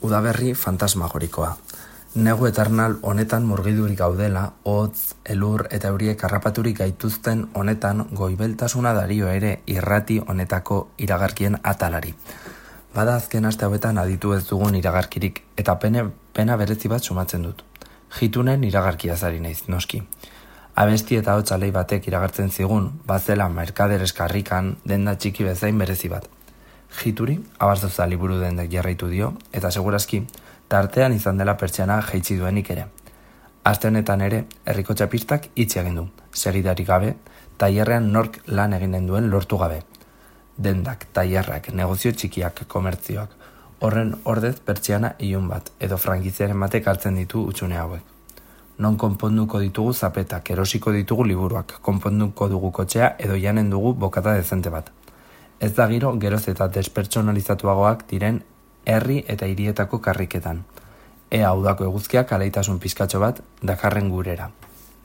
Udaberri fantasmagorikoa. Negu eternal honetan murgidurik gaudela, hotz, elur eta euriek harrapaturik gaituzten honetan goibeltasuna dario ere irrati honetako iragarkien atalari. Bada azken aste hauetan aditu ez dugun iragarkirik eta pena berezi bat sumatzen dut. Jitunen iragarkia zari naiz, noski. Abesti eta hotsalei batek iragartzen zigun, bazela merkaderes karrikan denda txiki bezain berezi bat. Jituri, abarzoza liburu dendek jarraitu dio, eta segurazki, tartean izan dela pertsiana jaitsi duenik ere. Aste honetan ere, herriko txapistak itxi egin du, segidarik gabe, tailerrean nork lan eginen duen lortu gabe. Dendak, tailerrak, negozio txikiak, komertzioak, horren ordez pertsiana ilun bat, edo frankiziaren batek hartzen ditu utxune hauek. Non konponduko ditugu zapetak, erosiko ditugu liburuak, konponduko dugu kotxea edo janen dugu bokata dezente bat. Ez da giro geroz eta despertsonalizatuagoak diren herri eta hirietako karriketan. Ea udako eguzkiak alaitasun pizkatxo bat dakarren gurera.